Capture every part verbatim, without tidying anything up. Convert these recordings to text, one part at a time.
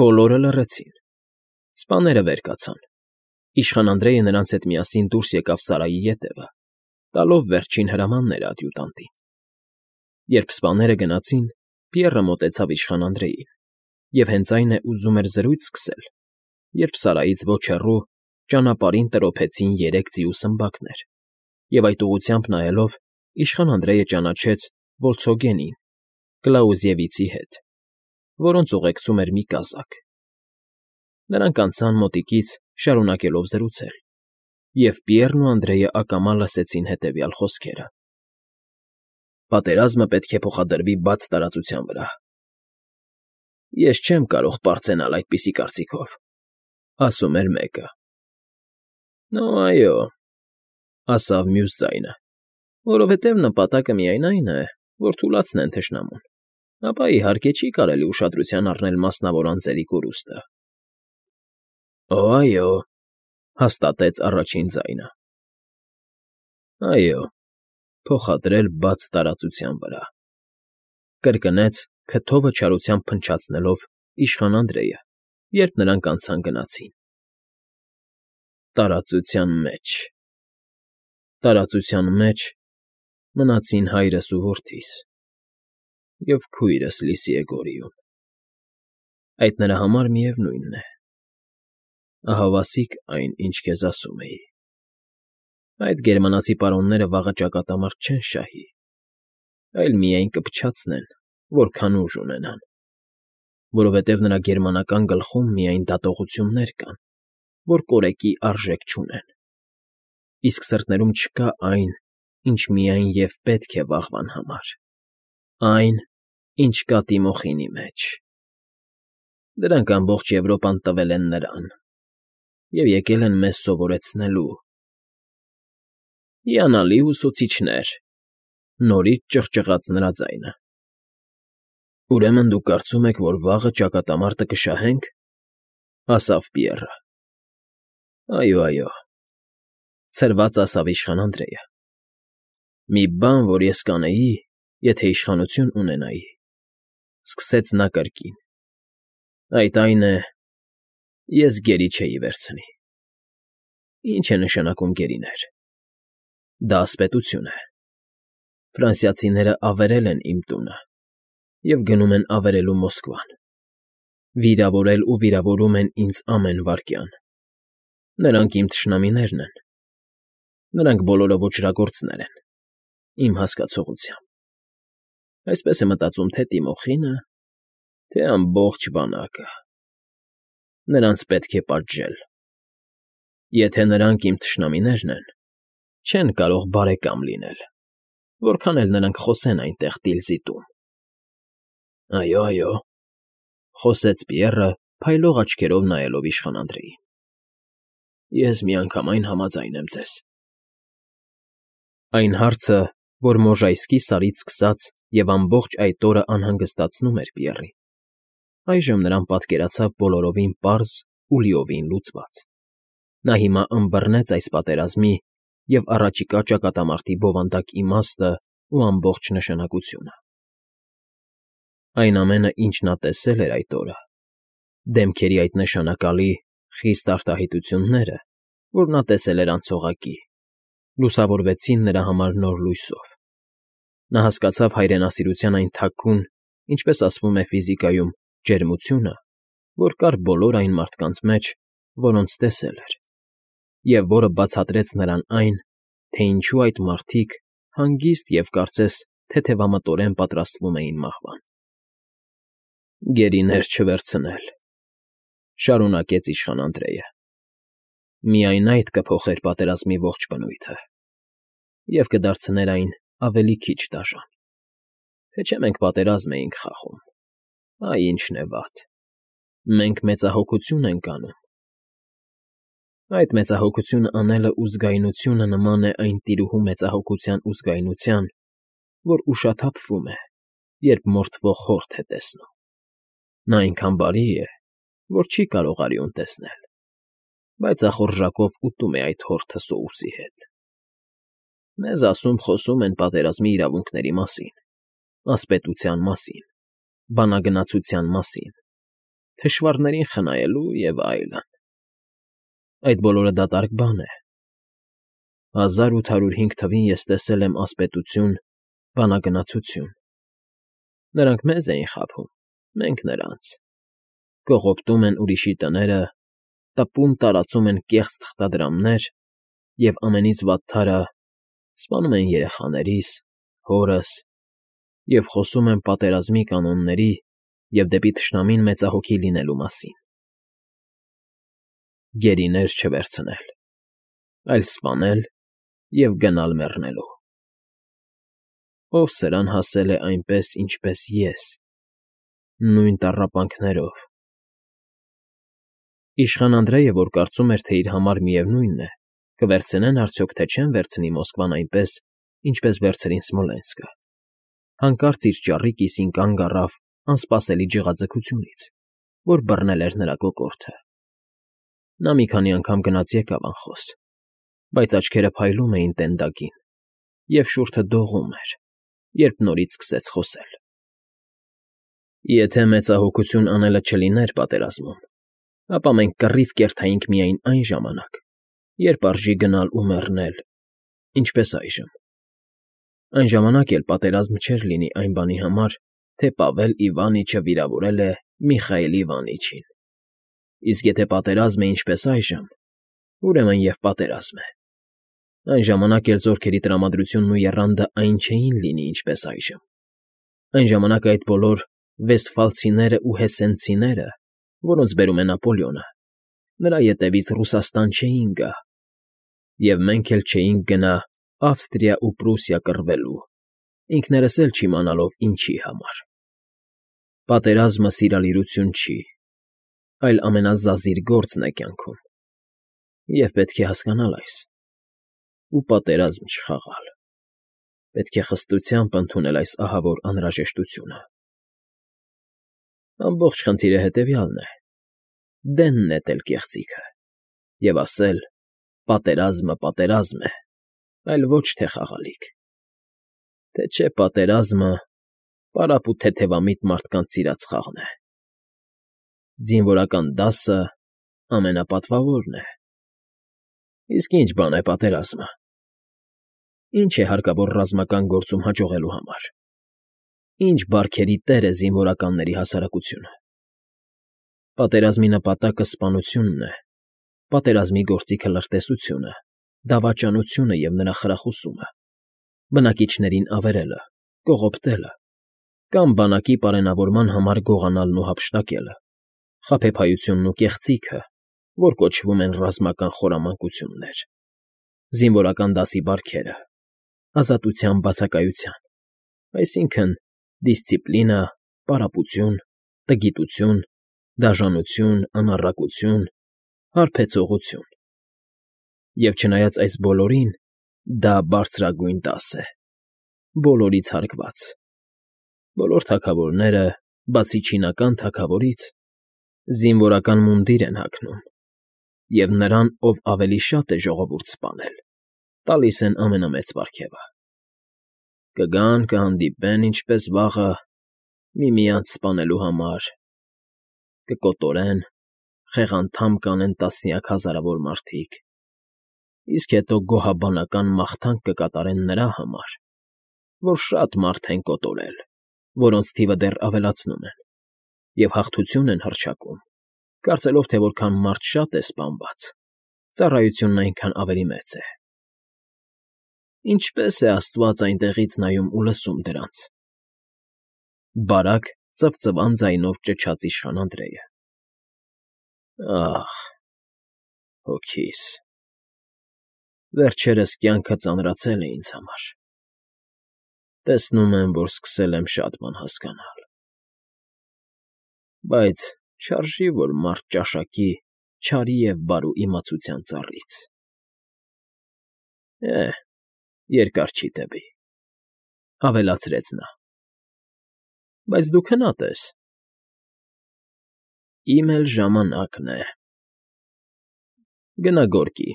Բոլորը լռեցին։ Սպաները վեր կացան։ Իշխան Անդրեյը նրանց հետ միասին դուրս եկավ սարայի ետևը, տալով վերջին հրամանները ադյուտանտին։ Երբ սպաները գնացին, Պիեռը մոտեցավ իշխան Անդրեյին և հենց այն է ուզում էր զրույց սկսել, երբ սարայից ոչ հեռու ճանապարհին տրոփեցին երեք ձիու սմբակներ, և այդ ուղղությամբ նայելով իշխան Անդրեյը ճանաչեց Վոլցոգենին, Կլաուզևիցի հետ, որոնց ուղեկցում էր մի կազակ։ Նրանք անցան մոտիկից, շարունակելով զրուցել, և Պիեռն ու Անդրեյը ակամա լսեցին հետևյալ խոսքերը. «Պատերազմը պետք է փոխադրվի բաց տարածության վրա»։ «Ես չեմ կարող պարծենալ այդպիսի կարծիքով», ասում էր մեկը։ «Նո այո», ասավ մյուս ձայնը, «որովհետև նպատակը միայն այն է, որ թուլացնեն թշնամուն, ապա, իհարկե, չի կարելի ուշադրության առնել մասնավոր անձերի կորուստը»։ «Օ, այո», հաստատեց առաջին ձայնը։ «Այո, փոխադրել բաց տարածության վրա», կրկնեց քթովը չարությամբ փնչացնելով իշխան Անդրեյը, երբ նրանք անցան գնացին։ «Տարածության մեջ, տարածության մեջ մնացին հայրս ու որդիս, և քույրս Լիսիեգորիում։ Այդ նրա համար միևնույն է, ահավասիկ այն, ինչ քեզ ասում էի։ Այդ գերմանացի պարոնները վաղը ճակատամարտ չեն շահի, այլ միայն կփչացնեն, որքան ուժ ունենան, որովհետև նրա գերմանական գլխում միայն դատողություններ կան, որ կորեկի արժեք չունեն, իսկ սրտներում չկա այն, ինչ միայն և պետք է վաղվան համար, այն, ինչ կա Տիմոխինի մեջ։ Դրանք ամբողջ Եվրոպան տվել են նրան և եկել են մեզ սովորեցնելու»։ «Հիանալի ուսուցիչներ», նորից ճղճղաց նրա ձայնը։ «Ուրեմն դուք կարծում եք, որ վաղը ճակատամարտը կշահենք», ասավ Պիեռը։ «Այո, այո», ցրված ասավ իշխան Անդրեյը։ «Մի բան, որ ես կանեի, եթե իշխանություն ունենայի», սկսեց նա կրկին, «այդ այն է. ես գերի չէի վերցնի»։ «Ինչ է նշանակում գերիներ։ Դա ասպետություն է։ Ֆրանսիացիները ավերել են իմ տունը և գնում են ավերելու Մոսկվան, վիրավորել ու վիրավորում են ինձ ամեն վայրկյան։ Նրանք իմ թշնամիներն են, նրանք բոլորը ոճրագործներ են, իմ հասկացողությամբ։ Այսպես է մտածում թե Տիմոխինը, թե ամբողջ բանակը։ Նրանց պետք է պատժել։ Եթե նրանք իմ թշնամիներն են, չեն կարող բարեկամ լինել, որքան էլ նրանք խոսեն այնտեղ տիլզիտում»։ «Այո, այո», խոսեց Պիեռը, փայլող աչքերով նայելով իշխան Անդրեյին։ «Ես միանգամայն համաձայն եմ ձեզ»։ Այն հարցը, որ Մոժայսկի սարից սկսած և ամբողջ այդ օրը անհանգստացնում էր Պիեռին, այժմ նրան պատկերացավ բոլորովին պարզ ու լիովին լուծված։ Նա հիմա ըմբռնեց այս պատերազմի և առաջիկա ճակատամարտի բովանդակ իմաստն ու ամբողջ նշանակությունը։ Այն ամենը, ինչ նա տեսել էր այդ օրը, դեմքերի այդ նշանակալի, խիստ արտահայտությունները, որ նա տեսել էր անցողակի, լուսավորվեցին նրա համար նոր լույսով։ Նա հասկացավ հայրենասիրության այն թաքուն, ինչպես ասվում է ֆիզիկայում, ջերմությունը, որ կար բոլոր այն մարդկանց մեջ, որոնց տեսել էր, և որը բացատրեց նրան այն, թե ինչու այդ մարդիկ հանգիստ և կարծես թեթևամտորեն պատրաստվում էին մահվան։ «Գերիներ չվերցնել», շարունակեց իշխան Անդրեյը։ «Միայն այդ կփոխեր պատերազմի ողջ բնույթը և կդարձներ այն ավելի քիչ դաժան։ Թե չէ մենք պատերազմ էինք խաղում։ Այ ինչն է վատ. մենք մեծահոգություն ենք անում։ Այդ մեծահոգություն անելը ու զգայունությունը նման է այն տիրուհու մեծահոգության ու զգայունության, որ ուշաթափվում է, երբ մորթվող խորթ է տեսնում։ Նա այնքան բարի է, որ չի կարող արյուն տեսնել, բայց ախորժակով ուտում է այդ հորթը սոուսի հետ։ Մեզ ասում֊խոսում են պատերազմի իրավունքների մասին, ասպետության մասին, բանագնացության մասին, Թշվառներին խնայելու և այլն… Այդ բոլորը դատարկ բան է… Հազար ութ հարյուր հինգ թվին ես տեսել եմ ասպետություն, բանագնացություն. նրանք մեզ էին խաբում, մենք՝ նրանց, կողոպտում են ուրիշի տները, տպում տարածում են կեղծ թղթադրամներ և, ամենից վատթարը, սպանում են երեխաներիս, հորս և խոսում են պատերազմի կանոնների և դեպի թշնամին մեծահոգի լինելու մասին… Գերիներ չվերցնել, այլ սպանել և գնալ մեռնելու… Ով սրան հասել է այնպես, ինչպես ես, նույն տառապանքներով… Իշխան Անդրեյը, որ կարծում էր, թե իր համար միևնույն է, կվերցնեն արդյոք, թե չեն վերցնի Մոսկվան այնպես, ինչպես վերցրին Սմոլենսկը, հանկարծ իր ճառի կիսին կանգ առավ անսպասելի ջղաձգությունից, որ բռնել էր նրա կոկորդը… Նա մի քանի անգամ գնաց֊եկավ անխոս, բայց աչքերը փայլում էին տենդակին, և շուրթը դողում էր, երբ նորից սկսեց խոսել. Եթե մեծահոգություն անելը չլիներ պատերազմում, ապա մենք կռիվ կերթայինք միայն այն ժամանակ, երբ արժի գնալ ու մեռնել, ինչպես այժմ… Այն ժամանակ էլ պատերազմ չէր լինի այն բանի համար, թե Պավել Իվանիչը վիրավորել է Միխայիլ Իվանիչին, իսկ եթե պատերազմ է ինչպես այժմ, ուրեմն և պատերազմ է… Այն ժամանակ էլ զորքերի տրամադրությունն ու եռանդը այն չէին լինի, ինչպես այժմ… Այն ժամանակ այդ բոլոր վեստֆալցիներն ու հեսենցիները, որոնց բերում է Նապոլեոնը, նրա ետևից Ռուսաստան չէին գա, և մենք էլ չէինք գնա Ավստրիա ու Պրուսիա կռվելու, ինքներս էլ չիմանալով ինչի համար… Պատերազմը սիրալիրություն չի, այլ ամենազազիր գործն է կյանքում, և պետք է հասկանալ այս ու պատերազմ չխաղալ… Պետք է խստությամբ ընդունել այս ահավոր անհրաժեշտությունը… Ամբողջ խնդիրը հետևյալն է. դեն նետել կեղծիքը և ասել. «Պատերազմը պատերազմ է, այլ ոչ թե խաղալիք, թե չէ պատերազմը պարապ ու թեթևամիտ մարդկանց սիրած խաղն է… Զինվորական դասը ամենապատվավորն է… Իսկ ի՞նչ բան է պատերազմը… Ի՞նչ է հարկավոր ռազմական գործում հաջողելու համար… Ի՞նչ բարքերի տեր է զինվորականների հասարակությունը… Պատերազմի նպատակը սպանությունն է, պատերազմի գործիքը լրտեսությունը, դավաճանությունը և նրա խրախուսումը, բնակիչներին ավերելը, կողոպտելը կամ բանակի պարենավորման համար գողանալն ու հափշտակելը, խաբեբայությունն ու կեղծիքը, որ կոչվում են ռազմական խորամանկություններ, զինվորական դասի բարքերը, ազատության բացակայության, այսինքն՝ դիսցիպլինա, պարապություն, տգիտություն, դաժանություն, անառակություն, հարբեցողություն… Եվ չնայած այս բոլորին, դա բարձրագույն դաս է, բոլորից հարգված… Բոլոր թագավորները, բացի չինական թագավորից, զինվորական մունդիր են հագնում և նրան, ով ավելի շատ է ժողովուրդ սպանել, տալիս են ամենամեծ պարգևը… Կգան, կհանդիպեն, ինչպես վաղը, միմյանց սպանելու համար, կկոտորեն, խեղանդամ կանեն տասնյակ հազարավոր մարդիկ, իսկ հետո գոհաբանական մաղթանք կկատարեն նրա համար, որ շատ մարդ են կոտորել, որոնց թիվը դեռ ավելացնում են, և հաղթություն են հռչակում, կարծելով, թե որքան մարդ շատ է սպանված, ծառայությունն այնքան ավելի մեծ է… Ինչպե՜ս է աստված այնտեղից նայում ու լսում դրանց… Բարակ ծվծվան ձայնով ճչաց իշխան Անդրեյը։ Ա՜խ, հոգիս… Վերջերս կյանքը ծանրացել է ինձ համար… Տեսնում եմ, որ սկսել եմ շատ բան հասկանալ… Բայց չարժի, որ մարդ ճաշակի չարի և բարու իմացության ծառից… Է՛, երկար չի տևի,֊ ավելացրեց նա։֊ Բայց դու քնած ես… Իմ էլ ժամանակն է… Գնա գորգի,֊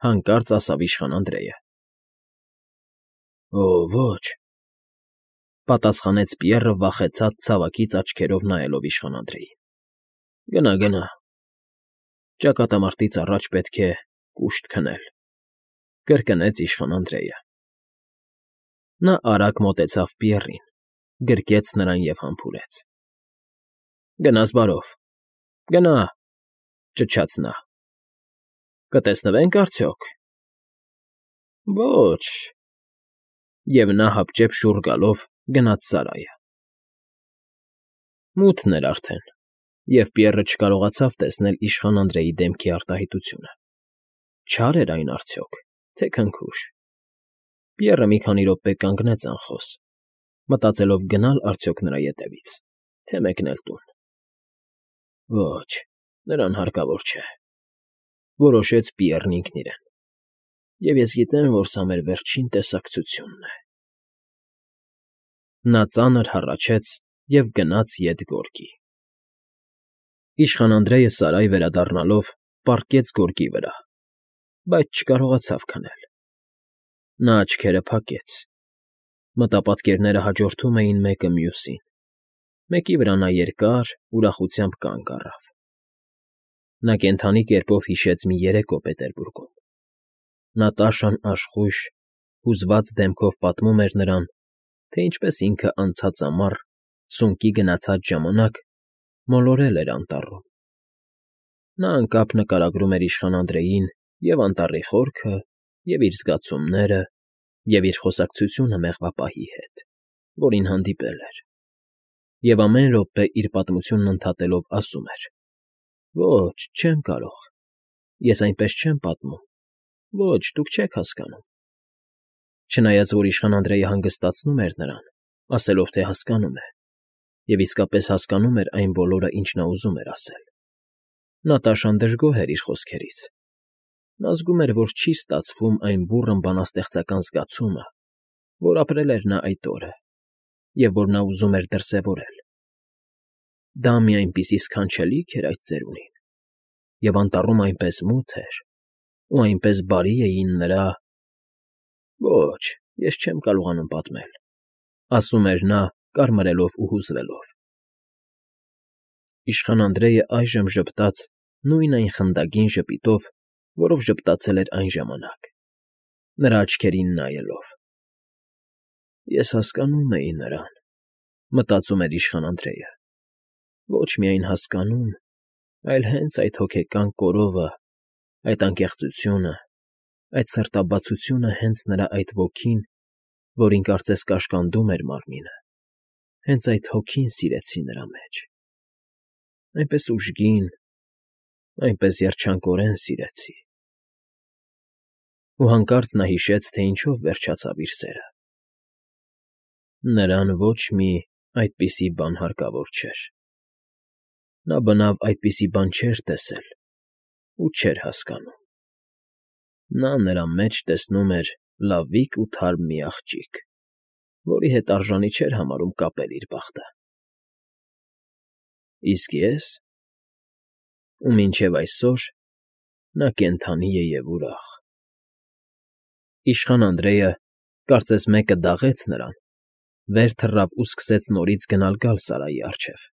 հանկարծ ասավ իշխան Անդրեյը։ ֊ Օ՜, ոչ,֊ պատասխանեց Պիեռը վախեցած ցավակից աչքերով նայելով իշխան Անդրեյին։ Գնա, գնա, ճակատամարտից առաջ պետք է կուշտ քնել,֊ կրկնեց իշխան Անդրեյը։ Նա արագ մոտեցավ Պիեռին, գրկեց նրան և համբուրեց։ ֊ Գնաս բարով, գնա,֊ ճչաց նա։֊ Կտեսնվե՞նք արդյոք։ ֊ Ոչ…֊ Եվ նա հապճեպ շուռ գալով գնաց սարայը։ Մութն էր արդեն, և Պիեռը չկարողացավ տեսնել իշխան Անդրեյի դեմքի արտահայտությունը. չա՞ր էր այն արդյոք, թե քնքուշ։ Պիեռը մի քանի րոպե կանգնեց անխոս, մտածելով գնա՞լ արդյոք նրա ետևից, թե մեկնել տուն։ Ոչ, նրան հարկավոր չէ,֊ որոշեց Պիեռն ինքն իրեն։֊ Եվ ես գիտեմ, որ սա մեր վերջին տեսակցությունն է։ Նա ծանր հառաչեց և գնաց ետ գորգի։ Իշխան Անդրեյը սարայ վերադառնալով պառկեց գորգի վրա, բայց չկարողացավ քնել։ Նա աչքերը փակեց, մտապատկերները հաջորդում էին մեկը մյուսին, մեկի վրա նա երկար ուրախությամբ կանգ առավ։ Նա կենդանի կերպով հիշեց մի երեկո Պետերբուրգում։ Նատաշան աշխույժ, հուզված դեմքով պատմում էր նրան, թե ինչպես ինքը անցած ամառ, սունկի գնացած ժամանակ, մոլորել էր անտառում։ Նա անկապ նկարագրում էր իշխան Անդրեյին և անտառի խորքը, և իր զգացումները, և իր խոսակցությունը մեղվապահի հետ, որին հանդիպել էր, և ամեն րոպե իր պատմությունն ընդհատելով ասում էր. «Ոչ, չեմ կարող, ես այնպես չեմ պատմում, ոչ, դուք չեք հասկանում»։ Չնայած որ իշխան Անդրեյը հանգստացնում էր նրան, ասելով, թե հասկանում է, և իսկապես հասկանում էր այն բոլորը, ինչ նա ուզում էր ասել, Նատաշան դժգոհ էր իր խոսքերից։ Նա զգում էր, որ չի ստացվում այն բուռն բանաստեղծական զգացումը, որ ապրել էր նա այդ օրը, և որ նա ուզում էր դրսևորել։ Դա մի այնպիսի սքանչելիք էր այդ ծերունին, և անտառում այնպես մութ էր, ու այնպես բարի էին նրա… Ոչ, ես չեմ կարողանում պատմել,֊ ասում էր նա, կարմրելով ու հուզվելով։ Իշխան Անդրեյը այժմ ժպտաց նույն այն խնդագին ժպիտով, որով ժպտացել էր այն ժամանակ, նրա աչքերին նայելով։ «Ես հասկանում էի նրան,֊ մտածում էր իշխան Անդրեյը,֊ ոչ միայն հասկանում, այլ հենց այդ հոգեկան կորովը, այդ անկեղծությունը, այդ սրտաբացությունը հենց նրա այդ ոգին, որին կարծես կաշկանդում էր մարմինը, հենց այդ հոգին սիրեցի նրա մեջ… այնպես ուժգին, այնպես երջանկորեն սիրեցի…»։ Ու հանկարծ նա հիշեց, թե ինչով վերջացավ իր սերը. նրան ոչ մի այդպիսի բան հարկավոր չէր։ Նա բնավ այդպիսի բան չէր տեսել ու չէր հասկանում։ Նա նրա մեջ տեսնում էր լավիկ ու թարմ մի աղջիկ, որի հետ արժանի չէր համարում կապել իր բախտը։ Իսկ ես… ու մինչև այսօր նա կենդանի է և ուրախ… Իշխան Անդրեյը, կարծես մեկը դաղեց նրան, վեր թռավ ու սկսեց նորից գնալ֊գալ սարայի առջև։